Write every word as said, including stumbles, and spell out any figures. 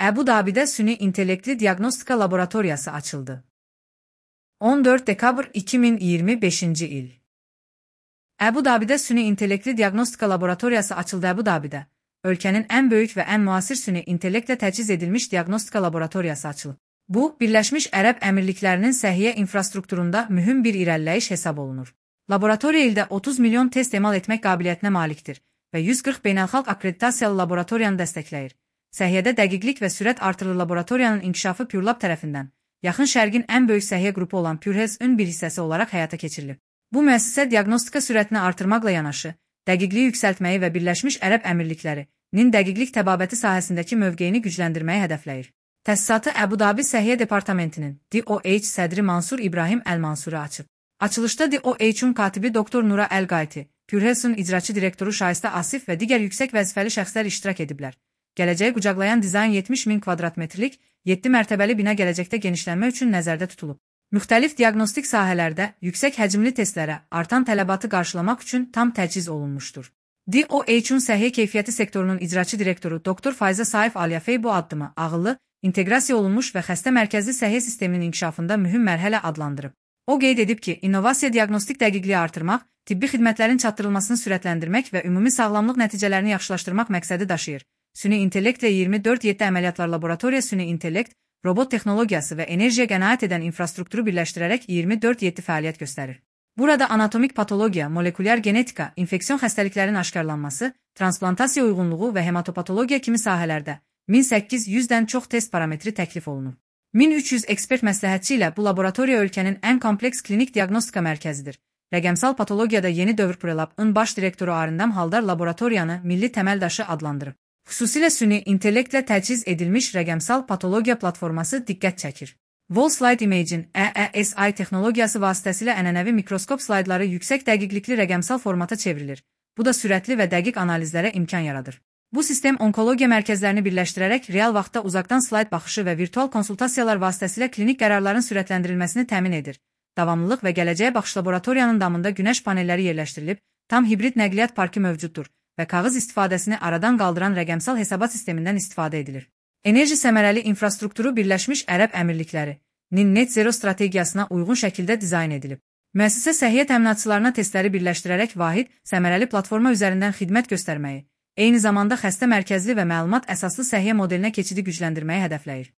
Əbu Dabidə süni intellektli diaqnostika laboratoriyası açıldı. on dörd dekabr iki min iyirmi beşinci il. Əbu Dabidə süni intellektli diaqnostika laboratoriyası açıldı. Əbu Dabidə, ölkənin ən böyük və ən müasir süni intellektlə təchiz edilmiş diaqnostika laboratoriyası açılıb. Bu, Birləşmiş Ərəb Əmirliklərinin səhiyyə infrastrukturunda mühüm bir irəliləyiş hesab olunur. Laboratoriya ildə otuz milyon test emal etmək qabiliyyətinə malikdir və yüz qırx beynəlxalq akkreditasiyalı laboratoriyanı dəstəkləyir. Səhiyyədə dəqiqlik və sürət artırılır. Laboratoriyanın inkişafı PureLab tərəfindən Yaxın Şərqin ən böyük səhiyyə qrupu olan PureHealth-ün bir hissəsi olaraq həyata keçirilib. Bu müəssisə diaqnostika sürətini artırmaqla yanaşı, dəqiqliyi yüksəltməyi və Birləşmiş Ərəb Əmirliklərinin dəqiqlik təbabəti sahəsindəki mövqeyini gücləndirməyi hədəfləyir. Təsisatı Əbu Dabi Səhiyyə Departamentinin D O H sədri Mansur İbrahim Əl-Mansuri açıb. Açılışda D O H-un katibi doktor Nura Əl-Qayti, PureHealth-ın icraçı direktoru Şayistə Asif və digər yüksək vəzifəli şəxslər iştirak ediblər. Gələcəyi qucaqlayan dizayn yetmiş min kvadratmetrlik yeddi mərtəbəli bina gələcəkdə genişlənmə üçün nəzərdə tutulub. Müxtəlif diaqnostik sahələrdə yüksək həcmli testlərə artan tələbatı qarşılamaq üçün tam təchiz olunmuşdur. D O H-un səhiyyə keyfiyyəti sektorunun icraçı direktoru doktor Fayza Saif Aliyafey bu addımı ağıllı, inteqrasiya olunmuş və xəstə mərkəzli səhiyyə sisteminin inkişafında mühüm mərhələ adlandırıb. O qeyd edib ki, innovasiya diaqnostik dəqiqliyi artırmaq, tibbi xidmətlərin çatdırılmasını sürətləndirmək və ümumi sağlamlıq nəticələrini yaxşılaşdırmaq məqsədi daşıyır. Süni intellekt və iyirmi dörd yeddi əməliyyatlar laboratoriya süni intellekt, robot texnologiyası və enerjiyə qənaət edən infrastrukturu birləşdirərək iyirmi dörd yeddi fəaliyyət göstərir. Burada anatomik patologiya, molekulyar genetika, infeksion xəstəliklərin aşkarlanması, transplantasiya uyğunluğu və hematopatologiya kimi sahələrdə min səkkiz yüzdən çox test parametri təklif olunur. min üç yüz ekspert məsləhətçi ilə bu laboratoriya ölkənin ən kompleks klinik diaqnostika mərkəzidir. Rəqəmsal patologiyada yeni dövr PureLab-ın baş direktoru Arindam Haldar laboratoriyanı milli təməldaşı adlandırıb. Xüsusilə süni intellektlə təchiz edilmiş rəqəmsal patologiya platforması diqqət çəkir. Wall Slide Imaging E E S I texnologiyası vasitəsilə ənənəvi mikroskop slaydları yüksək dəqiqlikli rəqəmsal formata çevrilir. Bu da sürətli və dəqiq analizlərə imkan yaradır. Bu sistem onkologiya mərkəzlərini birləşdirərək real vaxtda uzaqdan slayd baxışı və virtual konsultasiyalar vasitəsilə klinik qərarların sürətləndirilməsini təmin edir. Davamlılıq və gələcəyə baxış laboratoriyanın damında günəş panelləri yerləşdirilib, tam hibrid nəqliyyat parkı mövcuddur və kağız istifadəsini aradan qaldıran rəqəmsal hesabat sistemindən istifadə edilir. Enerji səmərəli infrastrukturu Birləşmiş Ərəb Əmirliklərinin net zero strategiyasına uyğun şəkildə dizayn edilib. Müəssisə səhiyyə təminatçılarına testləri birləşdirərək vahid, səmərəli platforma üzərindən xidmət göstərməyi, eyni zamanda xəstə mərkəzli və məlumat əsaslı səhiyyə modelinə keçidi gücləndirməyi hədəfləyir.